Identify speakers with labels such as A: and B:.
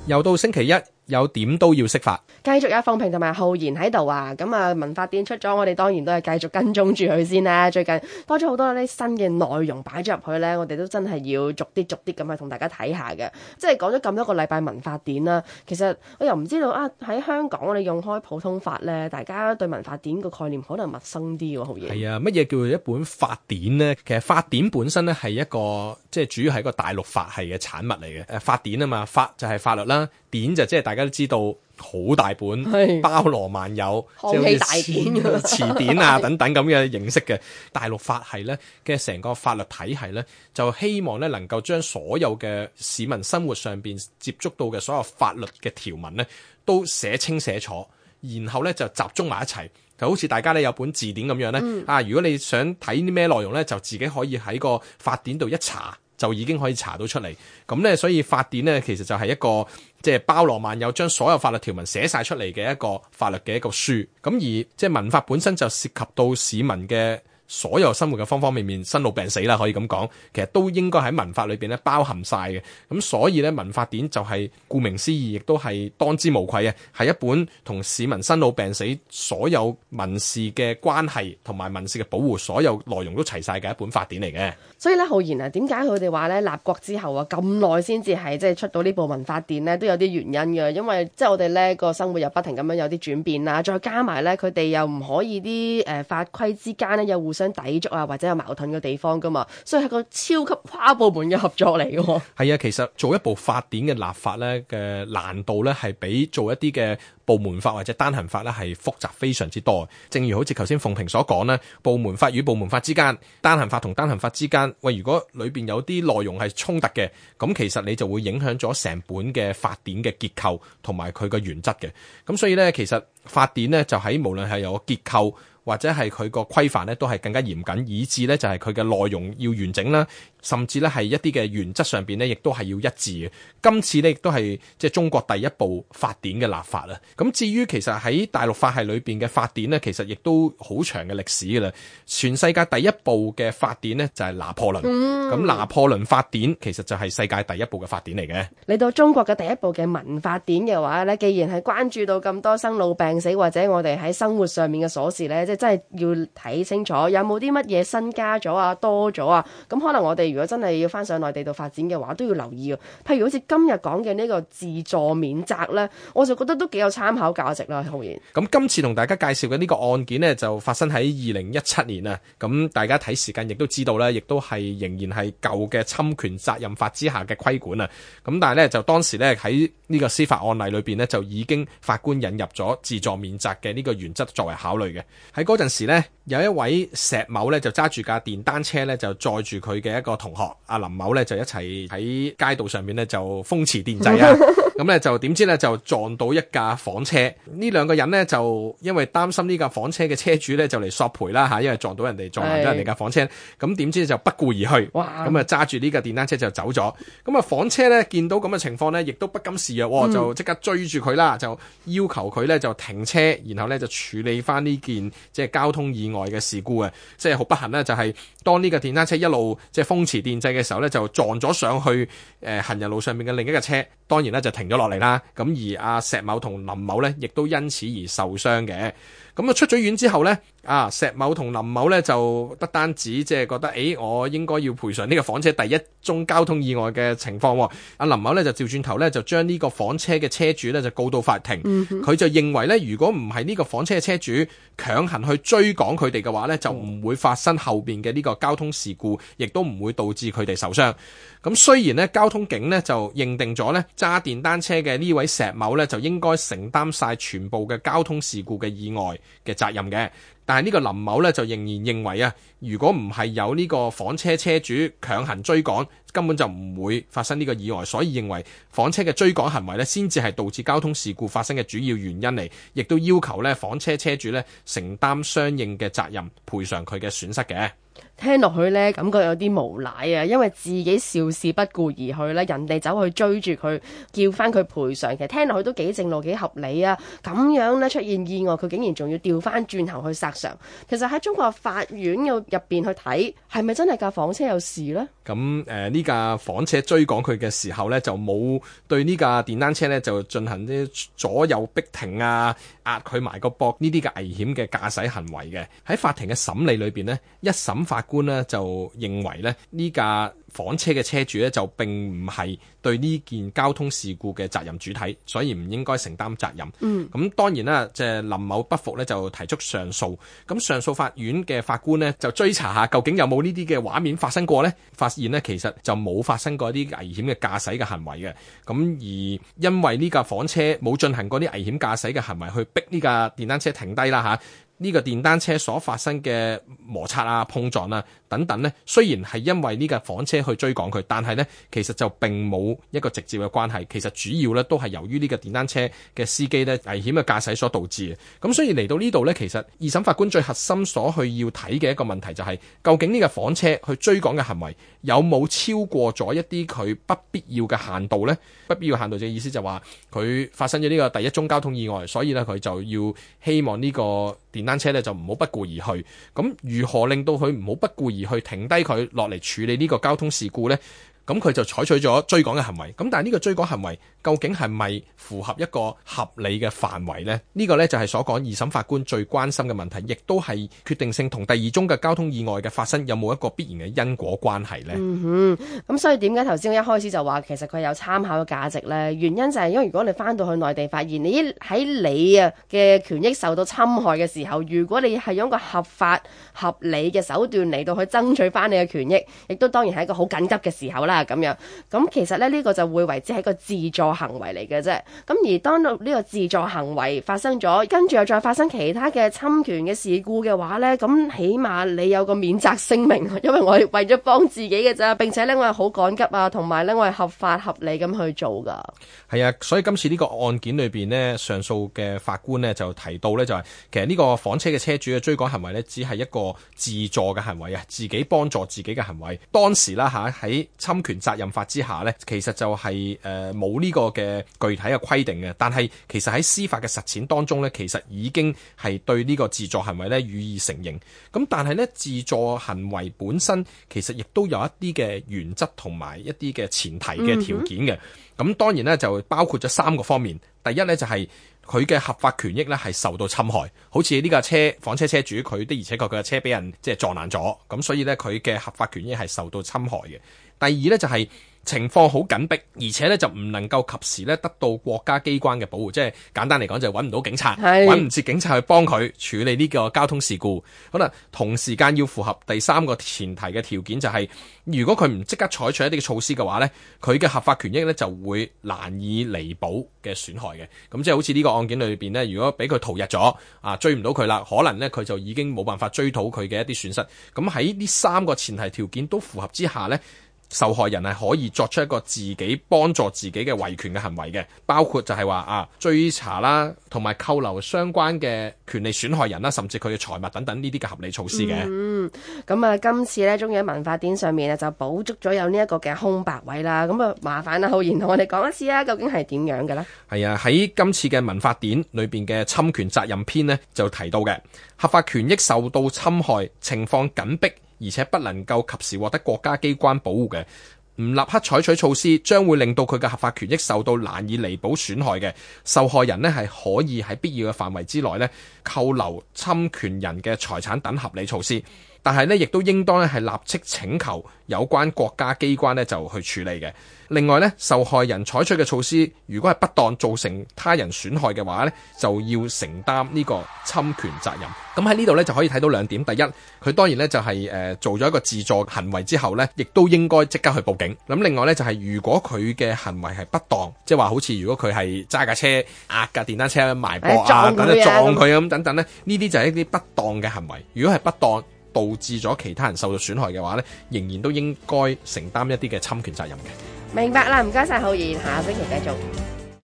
A: 又到星期一，有點都要識法，
B: 繼續有鳳萍同埋浩然喺度啊！咁啊，民法典出咗，我哋當然都係繼續跟蹤住佢先啦。最近多咗好多啲新嘅內容擺咗入去呢，我哋都真係要逐啲咁去同大家睇下嘅。即係講咗咁多個禮拜民法典啦，其實我又唔知道啊，喺香港我哋用開普通法呢，大家對民法典個概念可能陌生啲喎，浩然。
A: 係啊，乜嘢叫做一本法典呢？其實法典本身呢係一個即係主要係一個大陸法系嘅產物嚟嘅。法典啊嘛，法就係法律啦，典就即係大家都知道好大本，包羅萬有，
B: 康熙大典、
A: 詞典啊等等咁嘅形式嘅大陸法系呢嘅成個法律體系呢，就希望呢能夠將所有嘅市民生活上邊接觸到嘅所有法律嘅條文呢都寫清寫楚，然後呢就集中埋一齊。就好似大家呢有本字典咁樣呢，如果你想睇啲咩內容呢，就自己可以喺個法典度一查，就已經可以查到出嚟。咁呢，所以法典呢其實就係一個即係包羅萬有，將所有法律條文寫晒出嚟嘅一個法律嘅一個書。咁而即係民法本身就涉及到市民嘅所有生活嘅方方面面，生老病死啦，可以咁講，其實都應該喺民法裏邊咧包含晒嘅。咁所以咧，民法典就係顧名思義，亦都係當之無愧嘅，係一本同市民生老病死所有民事嘅關係同埋民事嘅保護，所有內容都齊晒嘅一本法典嚟嘅。
B: 所以咧，浩然啊，點解佢哋話咧立國之後啊咁耐先至係即係出到呢部民法典咧，都有啲原因嘅。因為即係我哋咧個生活又不停咁樣有啲轉變啦，再加埋咧佢哋又唔可以啲法規之間咧有互相抵觸啊，或者有矛盾嘅地方噶嘛，所以係個超級跨部門嘅合作嚟嘅。
A: 係啊，其實做一部法典嘅立法咧嘅難度咧係比做一啲嘅部門法或者單行法咧係複雜非常之多。正如好似頭先鳳萍所講咧，部門法與部門法之間，單行法同單行法之間，喂，如果裏邊有啲內容係衝突嘅，咁其實你就會影響咗成本嘅法典嘅結構同埋佢嘅原則嘅。咁所以咧，其實法典咧就喺無論係有個結構或者係佢個規範咧，都係更加嚴謹，以致咧就係佢嘅內容要完整啦，甚至咧係一啲嘅原則上邊咧，亦都係要一致嘅。今次咧亦都係即係中國第一部法典嘅立法啦。咁至於其實喺大陸法系裏邊嘅法典咧，其實亦都好長嘅歷史㗎啦。全世界第一部嘅法典咧就係拿破崙。咁拿破崙法典其實就係世界第一部嘅法典嚟嘅。
B: 嚟到中國嘅第一部嘅民法典嘅話咧，既然係關注到咁多生老病死或者我哋喺生活上面嘅瑣事咧，即係真係要睇清楚有冇啲乜嘢新加咗啊、多咗啊。咁可能我哋如果真係要翻上內地度發展嘅話，都要留意。譬如好似今日講嘅呢個自助免責咧，我就覺得都幾有參考價值啦。浩然，
A: 咁今次同大家介紹嘅呢個案件呢，就發生喺2017年啊。咁大家睇時間亦都知道咧，亦都係仍然係舊嘅侵權責任法之下嘅規管啊。咁但係咧，就當時咧喺呢個司法案例裏邊呢，就已經法官引入咗自助免責嘅呢個原則作為考慮嘅。喺嗰陣時呢，有一位石某咧就揸住架電單車咧，就載住佢嘅一個同學阿林某咧，就一齊喺街道上面咧就風馳電掣啊。咁咧就點知咧就撞到一架房車。呢兩個人呢，就因為擔心呢架房車嘅車主咧就嚟索賠啦嚇，因為撞到人哋撞爛咗人哋架房車。咁點知就不顧而去，咁啊揸住呢架電單車就走咗。咁啊房車咧見到咁嘅情況咧，亦都不甘示弱，就即刻追住佢啦，就要求佢咧就停車，然後咧就處理翻呢件即係交通意外嘅事故啊。即係好不幸咧，就係當呢個電單車一路即係風馳電掣嘅時候咧，就撞咗上去行人路上面嘅另一架車，當然咧就停咗落嚟啦。咁而阿石某同林某咧，亦都因此而受傷嘅。咁啊出咗院之後咧，石某同林某咧就不單止即係覺得，我應該要賠償呢個房車第一宗交通意外嘅情況。阿林某咧就調轉頭咧就將呢個房車嘅車主咧就告到法庭。佢就認為咧，如果唔係呢個房車嘅車主強行去追趕佢哋嘅話咧，就唔會發生後邊嘅呢個交通事故，亦都唔會導致佢哋受傷。咁雖然咧交通警咧就認定咗咧揸電單車嘅呢位石某咧就應該承擔晒全部嘅交通事故嘅意外嘅責任嘅，但係呢個林某咧就仍然認為啊，如果唔係有呢個房車車主強行追趕，根本就唔會發生呢個意外，所以認為房車嘅追趕行為咧先至係導致交通事故發生嘅主要原因嚟，亦都要求咧房車車主咧承擔相應嘅責任，賠償佢嘅損失嘅。
B: 聽落去呢，感覺有啲無賴啊！因為自己肇事不顧而去呢，人哋走去追住佢，叫翻佢賠償。其實聽落去都幾正路，幾合理啊！咁樣呢，出現意外，佢竟然仲要調翻轉頭去殺責上。其實喺中國法院入邊去睇，係咪真係架房車有事呢？
A: 咁呢架房車追趕佢嘅時候呢，就冇對呢架電單車呢就進行啲左右逼停啊、壓佢埋個膊呢啲嘅危險嘅駕駛行為嘅。喺法庭嘅審理裏邊呢，一審法官呢就認為呢，呢架房車嘅車主呢就並唔係對呢件交通事故嘅責任主體，所以唔應該承擔責任。咁當然啦，即係林某不服呢，就提出上訴。咁上訴法院嘅法官呢，就追查下究竟有冇呢啲嘅畫面發生過呢？發現呢，其實就冇發生過一啲危險嘅駕駛嘅行為嘅。咁而因為呢架房車冇進行過啲危險駕駛嘅行為去逼呢架電單車停低啦嚇。呢個電單車所發生嘅摩擦啊、碰撞啊等等呢，雖然係因為呢架房車去追趕佢，但係呢其實就並冇一個直接嘅關係。其實主要呢都係由於呢個電單車嘅司機呢危險嘅駕駛所導致嘅。咁所以嚟到呢度呢，其實二審法官最核心所去要睇嘅一個問題就係，究竟呢個房車去追趕嘅行為有冇超過咗一啲佢不必要嘅限度呢？不必要限度嘅意思就話佢發生咗呢個第一宗交通意外，所以呢佢就要希望呢個電單車咧就唔好不顧而去。咁如何令到佢唔好不顧而去，停低佢落嚟處理呢個交通事故呢？咁佢就採取咗追趕嘅行為。咁但係呢個追趕行為究竟係咪符合一個合理嘅範圍呢？呢個呢就係所講二審法官最關心嘅問題，亦都係決定性同第二宗嘅交通意外嘅發生有冇一個必然嘅因果關係呢？
B: 咁所以點解頭先我一開始就話其實佢有參考嘅價值呢？原因就係因為如果你翻到去內地發現你喺你嘅權益受到侵害嘅時候，如果你係用一個合法合理嘅手段嚟到去爭取翻你嘅權益，亦都當然係一個好緊急嘅時候啦咁樣。咁其實呢個就會為之係一個自助行為嚟嘅啫。咁而當呢個自助行為發生咗，跟住又再發生其他嘅侵權嘅事故嘅話呢，咁起碼你有個免責聲明，因為我係為咗幫自己嘅咋，並且呢，我係好趕急啊，同埋呢，我係合法合理咁去做噶。
A: 係啊，所以今次呢個案件裏邊呢，上訴嘅法官呢就提到呢，就係其實呢個房車嘅車主嘅追趕行為呢，只係一個自助嘅行為啊，自己幫助自己嘅行為。當時啦喺侵權責任法之下呢，其實就係冇呢個嘅具體嘅規定嘅，但係其實喺司法嘅實踐當中呢，其實已經係對呢個自助行為呢予以承認。咁但係呢，自助行為本身其實亦都有一啲嘅原則同埋一啲嘅前提嘅條件嘅。咁當然呢，就包括咗3個方面。第一呢，就係佢嘅合法權益呢係受到侵害，好似呢架房車車主佢的而且確佢嘅車俾人即係撞爛咗，咁所以呢，佢嘅合法權益係受到侵害嘅。第二呢，就係情況好緊迫，而且呢就唔能夠及時呢得到國家機關嘅保護，即係簡單嚟講就係揾唔到警察，揾唔切警察去幫佢處理呢個交通事故。可能同時間要符合第3個前提嘅條件，就係如果佢唔即刻採取一啲嘅措施嘅話呢，佢嘅合法權益呢就會難以彌補嘅損害嘅。咁即係好似呢個案件裏邊呢，如果俾佢逃逸咗追唔到佢啦，可能呢佢就已經冇辦法追討佢嘅一啲損失。咁喺呢3個前提條件都符合之下呢，受害人係可以作出一個自己幫助自己嘅維權嘅行為嘅，包括就係話追查啦，同埋扣留相關嘅權利損害人啦，甚至佢嘅財物等等呢啲嘅合理措施嘅。
B: 咁今次呢，終於喺民法典上面就補足咗有呢一個嘅空白位啦。咁麻煩浩然同我哋講一次啊，究竟係點樣嘅呢？係
A: 啊，喺今次嘅民法典裏邊嘅侵權責任篇呢，就提到嘅合法權益受到侵害，情況緊迫，而且不能夠及時獲得國家機關保護嘅，唔立刻採取措施，將會令到佢嘅合法權益受到難以彌補損害嘅。受害人呢係可以喺必要嘅範圍之內呢扣留侵權人嘅財產等合理措施，但係呢亦都應當呢係立即請求有關國家機關呢就去處理嘅。另外呢，受害人採取嘅措施如果係不當造成他人損害嘅話呢，就要承擔呢個侵權責任。咁喺呢度呢，就可以睇到2點。第一，佢當然呢就係做咗一個自助行為之後呢，亦都應該即刻去報警。咁另外呢，就係如果佢嘅行為係不當，即係話好似如果佢係揸架車壓架電單車埋膊撞佢咁等等呢，呢啲就係一啲不當嘅行為。如果係不當導致咗其他人受到損害嘅話呢，仍然都應該承擔一啲嘅侵權責任嘅。
B: 明白啦，唔該晒浩然，下星期繼續。